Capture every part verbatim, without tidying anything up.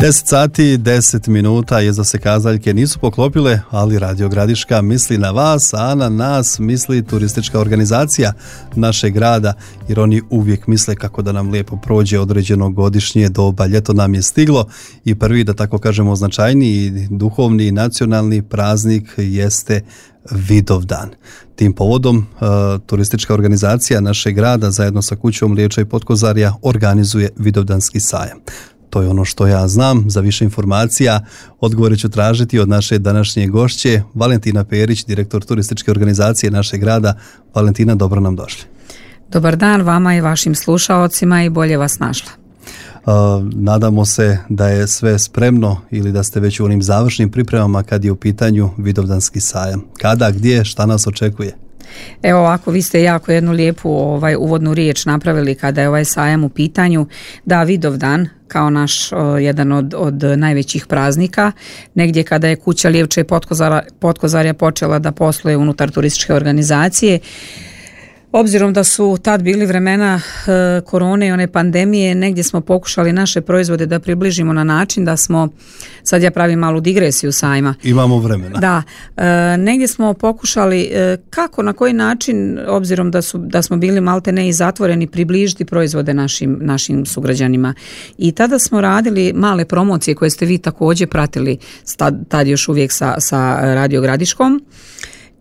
deset sati, deset minuta, jezda se kazaljke nisu poklopile, ali Radio Gradiška misli na vas, a na nas misli turistička organizacija našeg grada, jer oni uvijek misle kako da nam lijepo prođe određeno godišnje doba. Ljeto nam je stiglo i prvi, da tako kažemo, značajniji duhovni i nacionalni praznik jeste Vidovdan. Tim povodom uh, turistička organizacija našeg grada zajedno sa kućom Lijevča i Potkozarja organizuje Vidovdanski sajam. To je ono što ja znam. Za više informacija odgovore ću tražiti od naše današnje gošće Valentina Perić, direktor turističke organizacije našeg grada. Valentina, dobro nam došli. Dobar dan vama i vašim slušaocima i bolje vas našla. Uh, nadamo se da je sve spremno ili da ste već u onim završnim pripremama kad je u pitanju Vidovdanski sajam. Kada, gdje, šta nas očekuje? Evo ovako, vi ste jako jednu lijepu ovaj, uvodnu riječ napravili kada je ovaj sajam u pitanju. Da, Vidovdan kao naš o, jedan od, od najvećih praznika, negdje kada je kuća Lijevča i Potkozarja, Potkozarja počela da posluje unutar turističke organizacije. Obzirom da su tad bili vremena e, korone i one pandemije, negdje smo pokušali naše proizvode da približimo na način da smo, sad ja pravim malu digresiju sajma. Imamo vremena. Da, e, negdje smo pokušali e, kako, na koji način, obzirom da, su, da smo bili malte ne i zatvoreni, približiti proizvode našim, našim sugrađanima. I tada smo radili male promocije koje ste vi također pratili tad, tad još uvijek sa, sa Radio Gradiškom.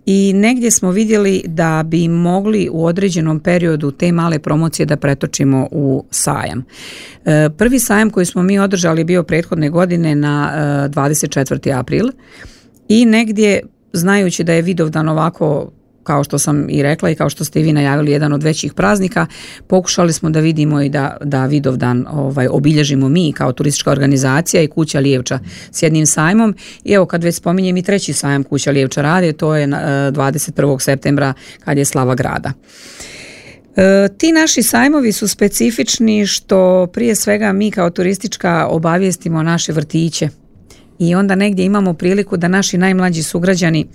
I negdje smo vidjeli da bi mogli u određenom periodu te male promocije da pretočimo u sajam. E, prvi sajam koji smo mi održali bio prethodne godine na e, dvadeset četvrti april i negdje, znajući da je Vidovdan ovako, kao što sam i rekla i kao što ste i vi najavili, jedan od većih praznika, pokušali smo da vidimo i da, da Vidovdan ovaj, obilježimo mi kao turistička organizacija i kuća Lijevča s jednim sajmom. I evo, kad već spominjem i treći sajam kuća Lijevča rade, to je dvadeset prvog septembra kad je slava grada. E, ti naši sajmovi su specifični što prije svega mi kao turistička obavijestimo naše vrtiće i onda negdje imamo priliku da naši najmlađi sugrađani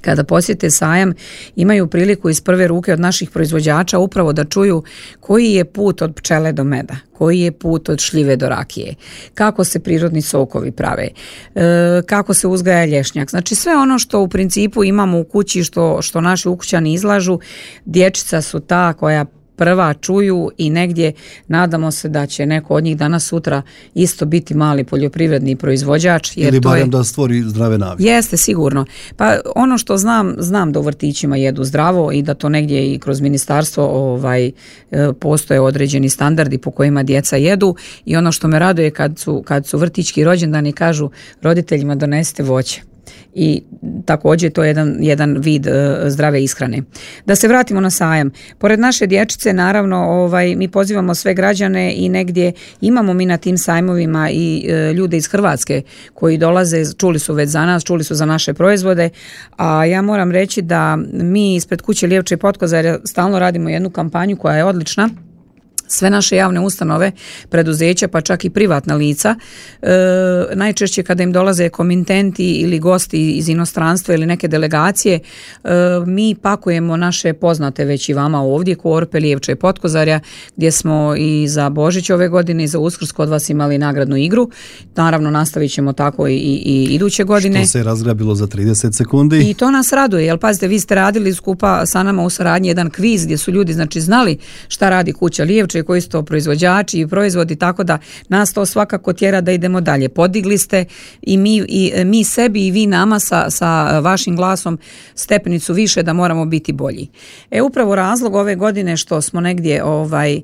kada posjete sajam imaju priliku iz prve ruke od naših proizvođača upravo da čuju koji je put od pčele do meda, koji je put od šljive do rakije, kako se prirodni sokovi prave, e, kako se uzgaja lješnjak. Znači sve ono što u principu imamo u kući, što, što naši ukućani izlažu, dječica su ta koja prva čuju i negdje nadamo se da će neko od njih danas sutra isto biti mali poljoprivredni proizvođač. Jer ili barem je, da stvori zdrave navike. Jeste, sigurno. Pa ono što znam, znam da u vrtićima jedu zdravo i da to negdje i kroz ministarstvo ovaj, postoje određeni standardi po kojima djeca jedu i ono što me raduje kad su, kad su vrtićki rođendani kažu roditeljima donesite voće. I također to je jedan, jedan vid uh, zdrave ishrane. Da se vratimo na sajam. Pored naše dječice, naravno, ovaj, mi pozivamo sve građane i negdje imamo mi na tim sajmovima i uh, ljude iz Hrvatske koji dolaze, čuli su već za nas, čuli su za naše proizvode, a ja moram reći da mi ispred kuće Lijevča i Potkozarja stalno radimo jednu kampanju koja je odlična. Sve naše javne ustanove, preduzeća, pa čak i privatna lica, e, najčešće kada im dolaze komitenti ili gosti iz inostranstva ili neke delegacije, e, mi pakujemo naše poznate već i vama ovdje, korpe Lijevča i Potkozarja, gdje smo i za Božić ove godine i za Uskrs kod vas imali nagradnu igru. Naravno, nastavit ćemo tako i, i, i iduće godine. Što se razgrabilo za trideset sekundi. I to nas raduje, jer pazite, vi ste radili skupa sa nama u saradnji jedan kviz gdje su ljudi znači znali šta radi kuća Lijevča i koji su to proizvođači i proizvodi, tako da nas to svakako tjera da idemo dalje. Podigli ste i mi, i mi sebi i vi nama sa, sa vašim glasom stepenicu više da moramo biti bolji. E upravo razlog ove godine što smo negdje ovaj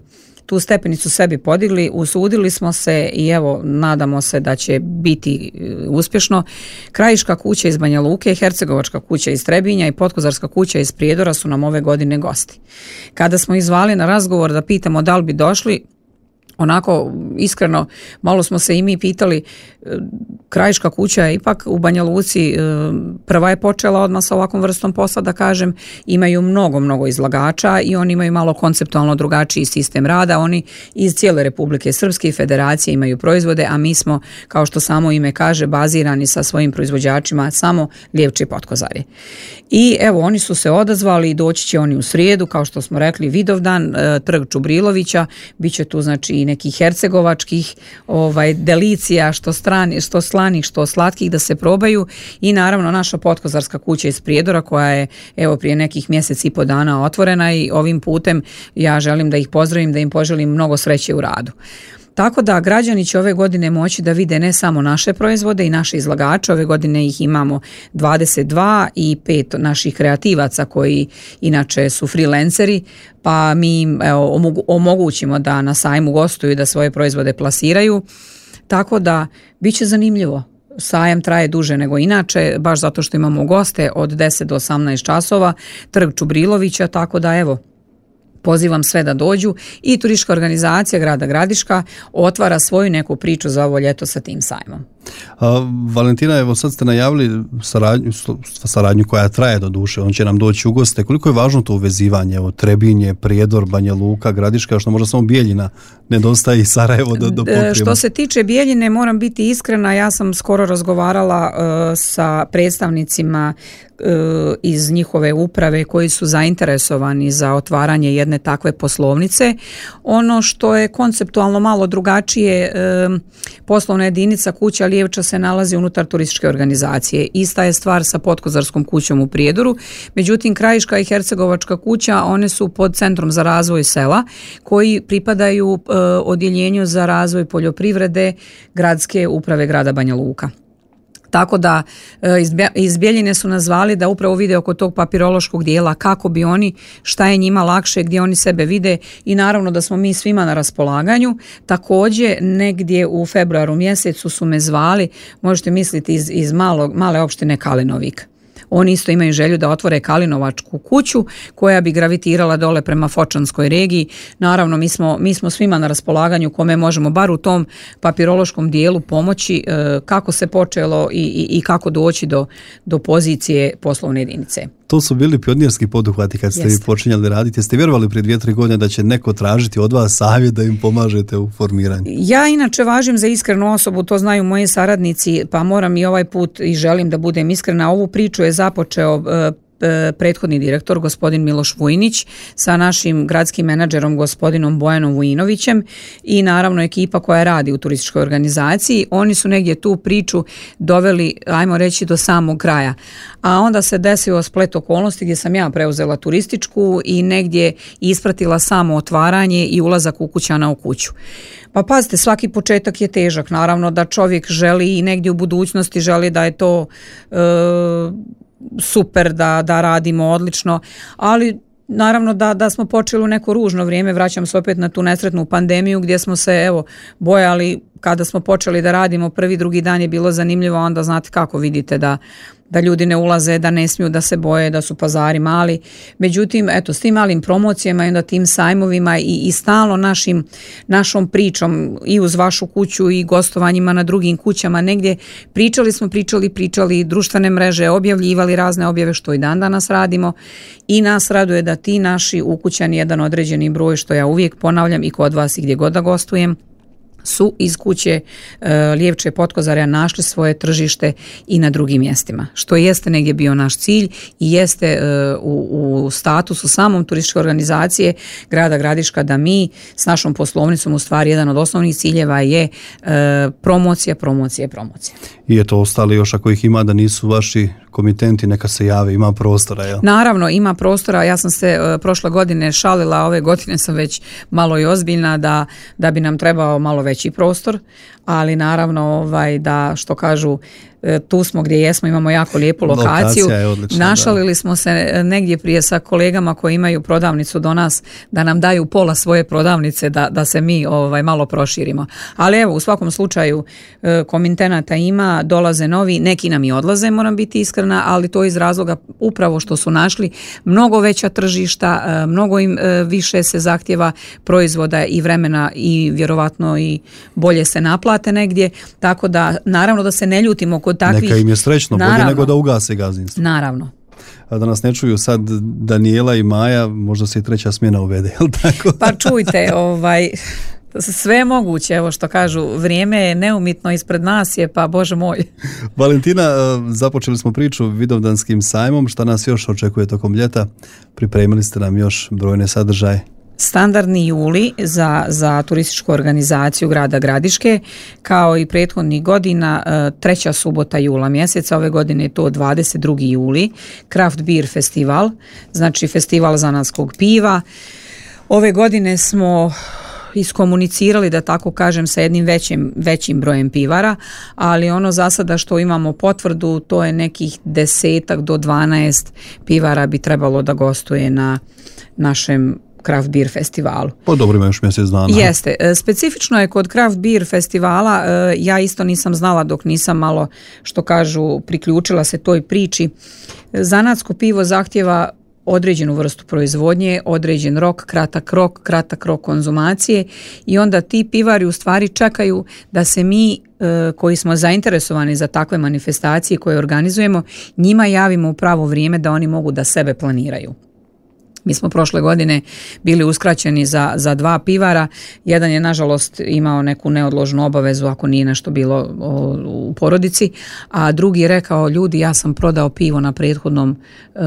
tu stepenicu sebi podigli, usudili smo se i evo nadamo se da će biti uspješno. Krajiška kuća iz Banja Luke, Hercegovačka kuća iz Trebinja i Potkozarska kuća iz Prijedora su nam ove godine gosti. Kada smo ih zvali na razgovor da pitamo da li bi došli, onako iskreno malo smo se i mi pitali, Krajiška kuća je ipak u Banja Luci prva je počela odmah sa ovakvom vrstom posla, da kažem, imaju mnogo, mnogo izlagača i oni imaju malo konceptualno drugačiji sistem rada, oni iz cijele Republike Srpske i Federacije imaju proizvode, a mi smo, kao što samo ime kaže, bazirani sa svojim proizvođačima samo Lijevče i Potkozarje. I evo, oni su se odazvali i doći će oni u srijedu, kao što smo rekli, Vidovdan, trg Čubrilovića, bit će tu znači i nekih hercegovačkih ovaj, delicija, što, strani, što slanih, što slatkih da se probaju i naravno naša potkozarska kuća iz Prijedora koja je evo prije nekih mjesec i po dana otvorena i ovim putem ja želim da ih pozdravim, da im poželim mnogo sreće u radu. Tako da građani će ove godine moći da vide ne samo naše proizvode i naše izlagače, ove godine ih imamo dvadeset dva i pet naših kreativaca koji inače su freelanceri, pa mi im evo, omogućimo da na sajmu gostuju i da svoje proizvode plasiraju, tako da bit će zanimljivo. Sajam traje duže nego inače, baš zato što imamo goste od deset do osamnaest časova, trg Čubrilovića, tako da evo, pozivam sve da dođu i turistička organizacija grada Gradiška otvara svoju neku priču za ovo ljeto sa tim sajmom. A, Valentina, evo sad ste najavili saradnju, saradnju koja traje do duše, on će nam doći u goste. Koliko je važno to uvezivanje, evo, Trebinje, Prijedor, Banja Luka, Gradiška, što možda samo Bijeljina nedostaje i Sarajevo da, da pokrijemo? Što se tiče Bijeljine, moram biti iskrena, ja sam skoro razgovarala uh, sa predstavnicima uh, iz njihove uprave koji su zainteresovani za otvaranje jedne takve poslovnice. Ono što je konceptualno malo drugačije, uh, poslovna jedinica kuća Lijevča se nalazi unutar turističke organizacije. Ista je stvar sa Potkozarskom kućom u Prijedoru, međutim Krajiška i Hercegovačka kuća, one su pod Centrom za razvoj sela koji pripadaju e, odjeljenju za razvoj poljoprivrede gradske uprave grada Banja Luka. Tako da iz Bijeljine su nas zvali da upravo vide oko tog papirološkog dijela kako bi oni, šta je njima lakše, gdje oni sebe vide i naravno da smo mi svima na raspolaganju. Također negdje u februaru mjesecu su me zvali, možete misliti iz, iz malog, male opštine Kalinovik. Oni isto imaju želju da otvore kalinovačku kuću koja bi gravitirala dole prema Fočanskoj regiji. Naravno, mi smo, mi smo svima na raspolaganju kome možemo bar u tom papirološkom dijelu pomoći e, kako se počelo i, i, i kako doći do, do pozicije poslovne jedinice. To su bili pionirski poduhvati kad ste Jeste. vi počinjali raditi. Jeste vjerovali prije dvije, tri godine da će neko tražiti od vas savjet da im pomažete u formiranju? Ja inače važim za iskrenu osobu, to znaju moji saradnici, pa moram i ovaj put i želim da budem iskrena. Ovu priču je započeo uh, prethodni direktor, gospodin Miloš Vujnić, sa našim gradskim menadžerom, gospodinom Bojanom Vujinovićem i naravno ekipa koja radi u turističkoj organizaciji. Oni su negdje tu priču doveli, ajmo reći, do samog kraja. A onda se desio splet okolnosti gdje sam ja preuzela turističku i negdje ispratila samo otvaranje i ulazak ukućana u kuću. Pa pazite, svaki početak je težak. Naravno da čovjek želi i negdje u budućnosti želi da je to e, super, da, da radimo odlično, ali naravno da, da smo počeli u neko ružno vrijeme, vraćam se opet na tu nesretnu pandemiju gdje smo se evo bojali kada smo počeli da radimo, prvi, drugi dan je bilo zanimljivo, onda znate kako vidite da da ljudi ne ulaze, da ne smiju, da se boje, da su pazari mali. Međutim, eto, s tim malim promocijama i onda tim sajmovima i, i stalno našim, našom pričom i uz vašu kuću i gostovanjima na drugim kućama, negdje pričali smo, pričali, pričali, društvene mreže, objavljivali razne objave što i dan danas radimo i nas raduje da ti naši ukućani, jedan određeni broj, što ja uvijek ponavljam i kod vas i gdje god da gostujem, su iz kuće e, Lijevče Potkozarja našli svoje tržište i na drugim mjestima, što jeste negdje bio naš cilj i jeste e, u, u statusu samom turističke organizacije grada Gradiška da mi s našom poslovnicom u stvari jedan od osnovnih ciljeva je e, promocija, promocija, promocija. I eto, ostali još ako ih ima da nisu vaši komitenti, neka se jave, ima prostora, jel? Naravno, ima prostora, ja sam se e, prošle godine šalila, ove godine sam već malo i ozbiljna da, da bi nam trebao malo veći prostor, ali naravno ovaj, da što kažu tu smo gdje jesmo, imamo jako lijepu lokaciju. Lokacija je odlična, našalili da. smo se negdje prije sa kolegama koji imaju prodavnicu do nas da nam daju pola svoje prodavnice da, da se mi ovaj, malo proširimo. Ali evo, u svakom slučaju komitenata ima, dolaze novi, neki nam i odlaze, moram biti iskrena, ali to iz razloga upravo što su našli mnogo veća tržišta, mnogo im više se zahtjeva proizvoda i vremena i vjerovatno i bolje se naplate negdje, tako da naravno da se ne ljutimo kod takvih. Neka im je srećno, bolje nego da ugase gazdinstvo. Naravno. A da nas ne čuju sad Daniela i Maja, možda se i treća smjena uvede, jel tako? Pa čujte, ovaj, sve je moguće, evo što kažu, vrijeme je neumitno ispred nas je, pa Bože moj. Valentina, započeli smo priču Vidovdanskim sajmom, šta nas još očekuje tokom ljeta? Pripremili ste nam još brojne sadržaje? Standardni juli za, za turističku organizaciju grada Gradiške, kao i prethodnih godina, treća subota jula mjeseca, ove godine je to dvadeset drugi juli, Craft Beer Festival, znači festival zanatskog piva. Ove godine smo iskomunicirali, da tako kažem, sa jednim većim, većim brojem pivara, ali ono za sada što imamo potvrdu, to je nekih desetak do dvanaest pivara bi trebalo da gostuje na našem Craft Beer festivalu. Po dobro, ima još mjesec dana. Jeste. Specifično je kod Craft Beer festivala, ja isto nisam znala dok nisam malo, što kažu, priključila se toj priči. Zanatsko pivo zahtjeva određenu vrstu proizvodnje, određen rok, kratak rok, kratak rok konzumacije i onda ti pivari u stvari čekaju da se mi koji smo zainteresovani za takve manifestacije koje organizujemo, njima javimo u pravo vrijeme da oni mogu da sebe planiraju. Mi smo prošle godine bili uskraćeni za, za dva pivara, jedan je nažalost imao neku neodložnu obavezu ako nije nešto bilo o, u porodici, a drugi je rekao, ljudi, ja sam prodao pivo na prethodnom e,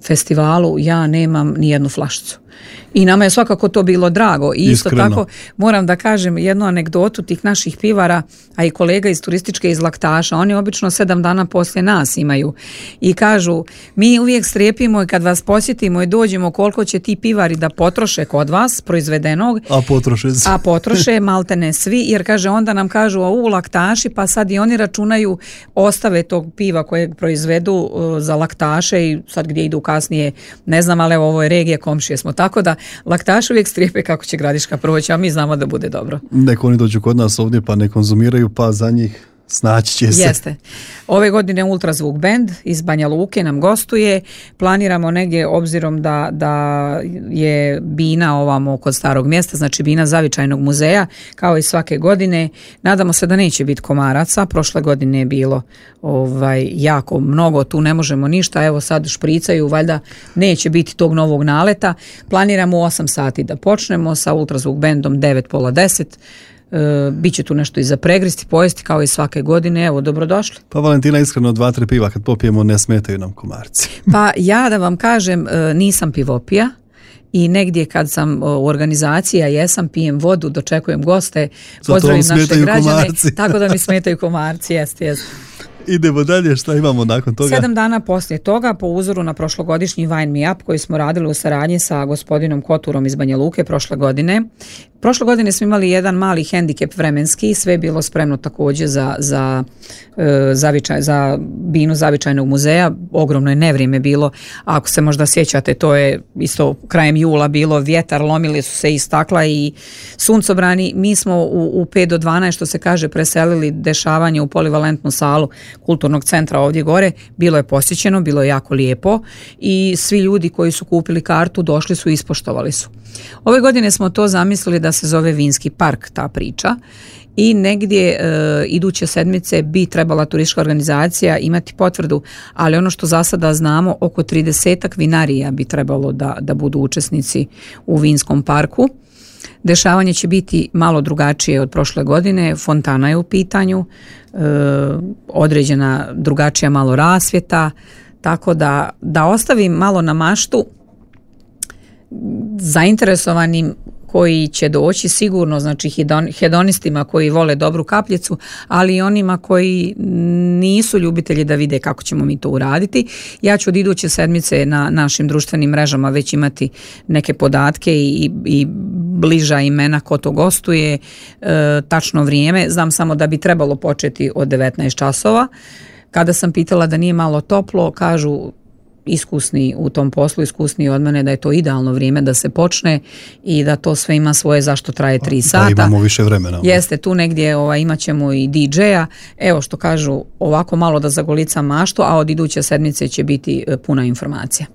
festivalu, ja nemam ni jednu flašicu. I nama je svakako to bilo drago. I isto Iskreno. Tako moram da kažem jednu anegdotu tih naših pivara, a i kolega iz turističke iz Laktaša, oni obično sedam dana poslije nas imaju i kažu, mi uvijek strepimo i kad vas posjetimo i dođemo koliko će ti pivari da potroše kod vas proizvedenog, a potroše se. a potroše malte ne svi, jer kaže onda nam kažu a u Laktaši, pa sad i oni računaju ostave tog piva kojeg proizvedu uh, za Laktaše i sad gdje idu kasnije ne znam, ali evo ovo je regije, komšije smo, tako da Laktaš uvijek strijepe kako će Gradiška proći, a mi znamo da bude dobro. Neko oni dođu kod nas ovdje pa ne konzumiraju, pa za njih snaći će se. Jeste. Ove godine Ultrazvuk band iz Banja Luke nam gostuje. Planiramo negdje, obzirom da, da je bina ovamo kod starog mjesta, znači bina Zavičajnog muzeja, kao i svake godine. Nadamo se da neće biti komaraca. Prošle godine je bilo ovaj, jako mnogo, tu ne možemo ništa. Evo sad špricaju, valjda neće biti tog novog naleta. Planiramo u osam sati da počnemo sa Ultrazvuk bandom, devet pola deset. E, Biće tu nešto i za pregristi, pojesti kao i svake godine. Evo, dobrodošli. Pa Valentina, iskreno dva, tri piva kad popijemo ne smetaju nam komarci. Pa ja da vam kažem, nisam pivopija i negdje kad sam u organizaciji, a jesam, pijem vodu, dočekujem goste, pozdravim naše građane, komarci. Tako da mi smetaju komarci, jeste, jeste. Idemo dalje, šta imamo nakon toga? Sedam dana poslije toga, po uzoru na prošlogodišnji Wine Me Up koji smo radili u saradnji sa gospodinom Koturom iz Banja Luke prošle godine. Prošle godine smo imali jedan mali hendikep vremenski, sve je bilo spremno također za, za, e, zavičaj, za binu Zavičajnog muzeja, ogromno je nevrijeme bilo, ako se možda sjećate, to je isto krajem jula bilo, vjetar, lomili su se i stakla i suncobrani. Mi smo u, u pet do dvanaest, što se kaže, preselili dešavanje u polivalentnu salu kulturnog centra ovdje gore, bilo je posjećeno, bilo je jako lijepo i svi ljudi koji su kupili kartu došli su i ispoštovali su. Ove godine smo to zamislili da se zove Vinski park, ta priča, i negdje e, iduće sedmice bi trebala turistička organizacija imati potvrdu, ali ono što za sada znamo, oko tridesetak vinarija bi trebalo da, da budu učesnici u Vinskom parku. Dešavanje će biti malo drugačije od prošle godine, fontana je u pitanju, e, određena drugačija malo rasvjeta, tako da, da ostavim malo na maštu zainteresovanim koji će doći sigurno, znači hedonistima koji vole dobru kapljicu, ali i onima koji nisu ljubitelji da vide kako ćemo mi to uraditi. Ja ću od iduće sedmice na našim društvenim mrežama već imati neke podatke i, i bliža imena ko to gostuje, e, tačno vrijeme. Znam samo da bi trebalo početi od devetnaest časova. Kada sam pitala da nije malo toplo, kažu iskusni u tom poslu, iskusni od mene, da je to idealno vrijeme da se počne i da to sve ima svoje zašto traje tri sata. Da imamo više vremena. Jeste, tu negdje ovaj, imat ćemo i di džeja. Evo što kažu, ovako malo da zagolicam maštu, a od iduće sedmice će biti puna informacija.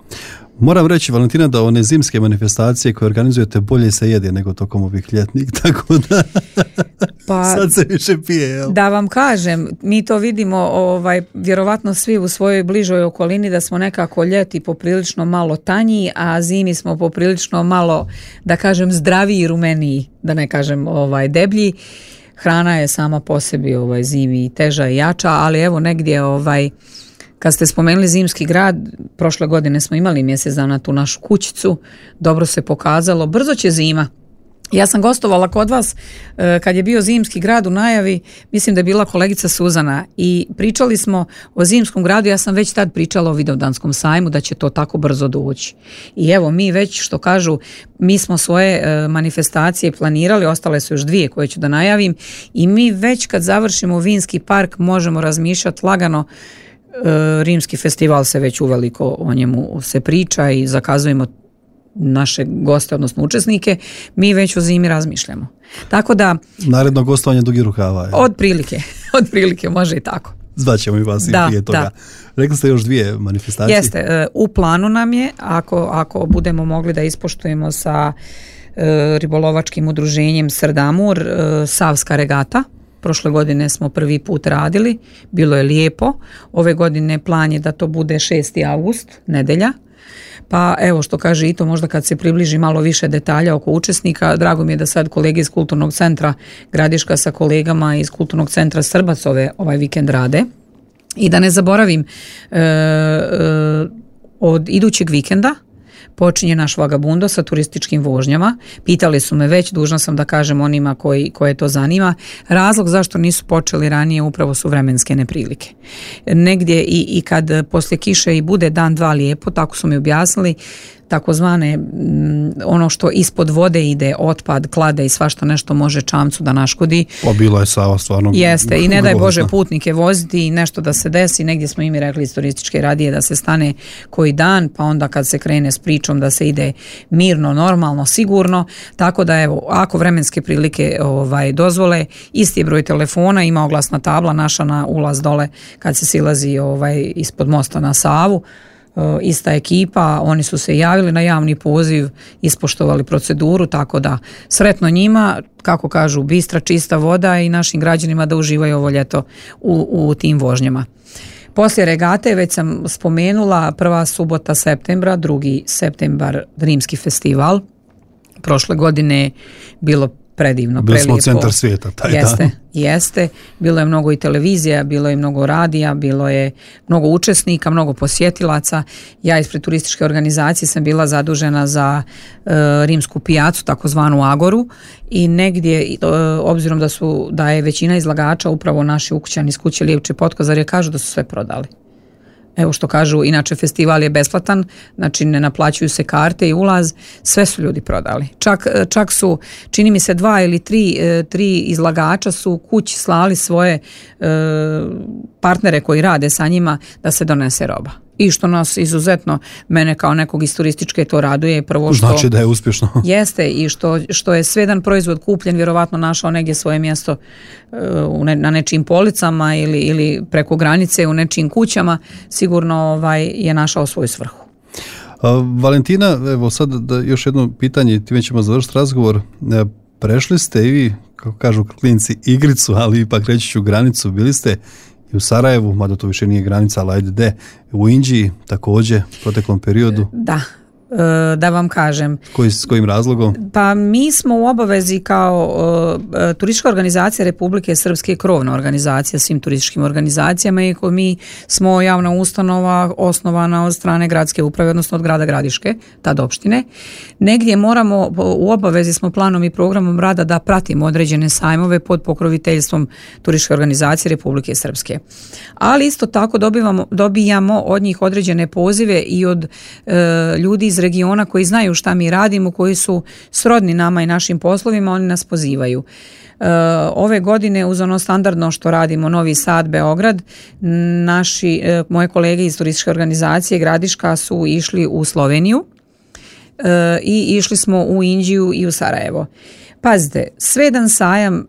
Moram reći, Valentina, da one zimske manifestacije koje organizujete bolje se jede nego tokom ovih ljetnih, tako da pa, sad se više pije. Jel? Da vam kažem, mi to vidimo ovaj, vjerovatno svi u svojoj bližoj okolini da smo nekako ljeti poprilično malo tanji, a zimi smo poprilično malo, da kažem, zdraviji i rumeniji, da ne kažem ovaj, deblji. Hrana je sama po sebi ovaj, zimi teža i jača, ali evo negdje ovaj, Kad ste spomenuli Zimski grad, prošle godine smo imali mjesec dana tu našu kućicu, dobro se pokazalo, brzo će zima. Ja sam gostovala kod vas kad je bio Zimski grad u najavi, mislim da je bila kolegica Suzana i pričali smo o Zimskom gradu, ja sam već tad pričala o Vidovdanskom sajmu da će to tako brzo doći. I evo mi već što kažu, mi smo svoje manifestacije planirali, ostale su još dvije koje ću da najavim i mi već kad završimo Vinski park možemo razmišljati lagano. Rimski festival se već uveliko o njemu se priča i zakazujemo naše goste, odnosno učesnike, mi već o zimi razmišljamo. Tako da... Naredno gostovanje dugi rukava. Je. Od prilike, od prilike, može i tako. Zvaćemo i vas da, i prije toga. Da. Rekli ste još dvije manifestacije. Jeste, u planu nam je, ako, ako budemo mogli da ispoštujemo sa e, ribolovačkim udruženjem Srdamur, e, Savska regata. Prošle godine smo prvi put radili, bilo je lijepo. Ove godine plan je da to bude šesti avgust, nedelja. Pa evo što kaže i to možda kad se približi malo više detalja oko učesnika, drago mi je da sad kolege iz Kulturnog centra Gradiška sa kolegama iz Kulturnog centra Srbac ove, ovaj vikend rade. I da ne zaboravim, e, e, od idućeg vikenda počinje naš Vagabundo sa turističkim vožnjama. Pitali su me već, dužna sam da kažem onima koji, koje to zanima. Razlog zašto nisu počeli ranije upravo su vremenske neprilike. Negdje i, i kad poslije kiše i bude dan dva lijepo, tako su mi objasnili, takozvane ono što ispod vode ide, otpad, klade i svašta nešto može čamcu da naškodi. Pa bila je Sava stvarno. Jeste i ne daj Bože putnike voziti i nešto da se desi. Negdje smo im rekli iz turističke radije da se stane koji dan, pa onda kad se krene s pričom da se ide mirno, normalno, sigurno. Tako da evo, ako vremenske prilike ovaj, dozvole, isti broj telefona, ima oglasna tabla naša na ulaz dole kad se silazi ovaj, ispod mosta na Savu. Ista ekipa, oni su se javili na javni poziv, ispoštovali proceduru, tako da sretno njima, kako kažu, bistra, čista voda i našim građanima da uživaju ovo ljeto u, u tim vožnjama. Poslije regate, već sam spomenula, prva subota septembra, drugi septembar Rimski festival. Prošle godine bilo predivno, bili prelijepo. Bili smo centar svijeta taj jeste, dan. Jeste, bilo je mnogo i televizija, bilo je mnogo radija, bilo je mnogo učesnika, mnogo posjetilaca. Ja ispred turističke organizacije sam bila zadužena za e, rimsku pijacu, takozvanu Agoru, i negdje, e, obzirom da su da je većina izlagača upravo naši ukućani iz kuće Lijevče Potkozarje, kažu da su sve prodali. Evo što kažu, inače festival je besplatan, znači ne naplaćuju se karte i ulaz, sve su ljudi prodali. Čak, čak su, čini mi se dva ili tri, tri izlagača su kući slali svoje e, partnere koji rade sa njima da se donese roba. I što nas izuzetno, mene kao nekog iz turističke to raduje. Prvo što znači da je uspješno. Jeste i što, što je sve jedan proizvod kupljen, vjerovatno našao negdje svoje mjesto uh, ne, na nečijim policama ili, ili preko granice u nečijim kućama, sigurno ovaj, je našao svoju svrhu. A, Valentina, evo sad da još jedno pitanje, time ćemo završiti razgovor. Prešli ste i vi, kako kažu klinci, igricu, ali ipak reći ću granicu, bili ste i u Sarajevu, mada to više nije granica, ali ajde de, u Inđiji također u proteklom periodu. Da, da vam kažem. Koji, s kojim razlogom? Pa mi smo u obavezi kao uh, turistička organizacija Republike Srpske, krovna organizacija svim turističkim organizacijama, i mi smo javna ustanova osnovana od strane gradske uprave, odnosno od grada Gradiške, tad opštine. Negdje moramo, u obavezi smo planom i programom rada da pratimo određene sajmove pod pokroviteljstvom turističke organizacije Republike Srpske. Ali isto tako dobivamo, dobijamo od njih određene pozive i od uh, ljudi iz regiona koji znaju šta mi radimo, koji su srodni nama i našim poslovima, oni nas pozivaju. E, ove godine uz ono standardno što radimo Novi Sad, Beograd, naši, e, moje kolege iz turističke organizacije Gradiška su išli u Sloveniju e, i išli smo u Inđiju i u Sarajevo. Pazite, Svedan sajam e,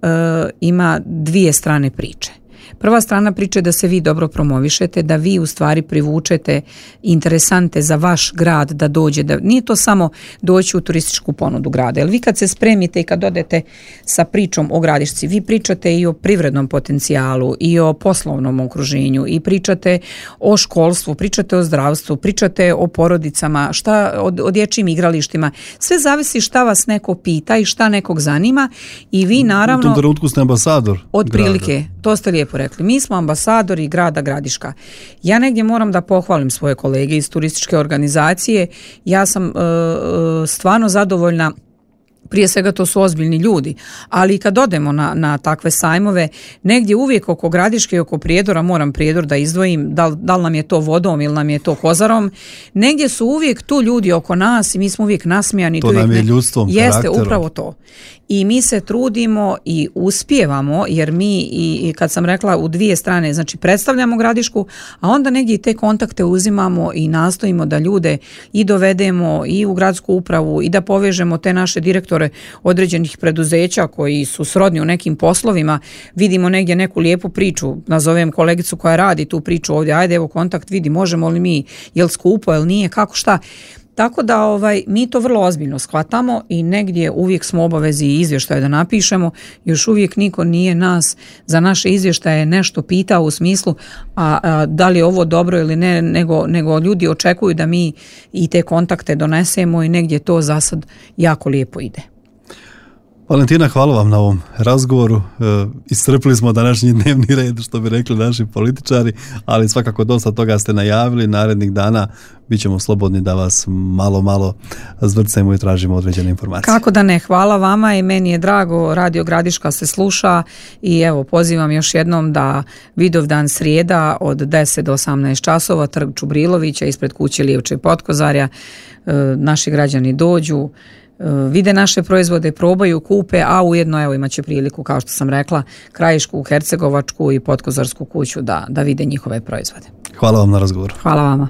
ima dvije strane priče. Prva strana priče je da se vi dobro promovišete, da vi u stvari privučete interesante za vaš grad da dođe, da nije to samo doći u turističku ponudu grada, jer vi kad se spremite i kad odete sa pričom o Gradišci, vi pričate i o privrednom potencijalu i o poslovnom okruženju i pričate o školstvu, pričate o zdravstvu, pričate o porodicama, šta, o, o dječjim igralištima, sve zavisi šta vas neko pita i šta nekog zanima i vi naravno... U tom trenutku ste ambasador od prilike, To ste lijepo rekli. Mi smo ambasadori grada Gradiška. Ja negdje moram da pohvalim svoje kolege iz turističke organizacije. Ja sam e, stvarno zadovoljna. Prije svega to su ozbiljni ljudi, ali kad odemo na, na takve sajmove, negdje uvijek oko Gradiške i oko Prijedora, moram Prijedor da izdvojim, da, da li nam je to vodom ili nam je to kozarom, negdje su uvijek tu ljudi oko nas i mi smo uvijek nasmijani. To nam je ljudstvom, jeste, karakterom. Upravo to. I mi se trudimo i uspijevamo, jer mi, i, i kad sam rekla, u dvije strane, znači predstavljamo Gradišku, a onda negdje i te kontakte uzimamo i nastojimo da ljude i dovedemo i u gradsku upravu i da povežemo te naše direktore određenih preduzeća koji su srodni u nekim poslovima. Vidimo negdje neku lijepu priču, nazovem kolegicu koja radi tu priču ovdje, ajde evo kontakt, vidi možemo li mi, jel skupo, jel nije, kako šta. Tako da ovaj, mi to vrlo ozbiljno shvatamo i negdje uvijek smo obavezi i izvještaje da napišemo. Još uvijek niko nije nas za naše izvještaje nešto pitao u smislu a, a da li je ovo dobro ili ne, nego, nego ljudi očekuju da mi i te kontakte donesemo i negdje to za sad jako lijepo ide. Valentina, hvala vam na ovom razgovoru. E, iscrpili smo današnji dnevni red, što bi rekli naši političari, ali svakako dosta toga ste najavili. Narednih dana bit ćemo slobodni da vas malo, malo zvrcemo i tražimo određene informacije. Kako da ne, hvala vama i meni je drago, Radio Gradiška se sluša i evo pozivam još jednom da Vidovdan srijeda od deset do osamnaest časova, Trg Čubrilovića ispred kuće Lijevče Potkozarja, e, naši građani dođu, vide naše proizvode, probaju, kupe, a ujedno evo imat će priliku, kao što sam rekla, Krajišku, Hercegovačku i Potkozarsku kuću da, da vide njihove proizvode. Hvala vam na razgovoru. Hvala vama.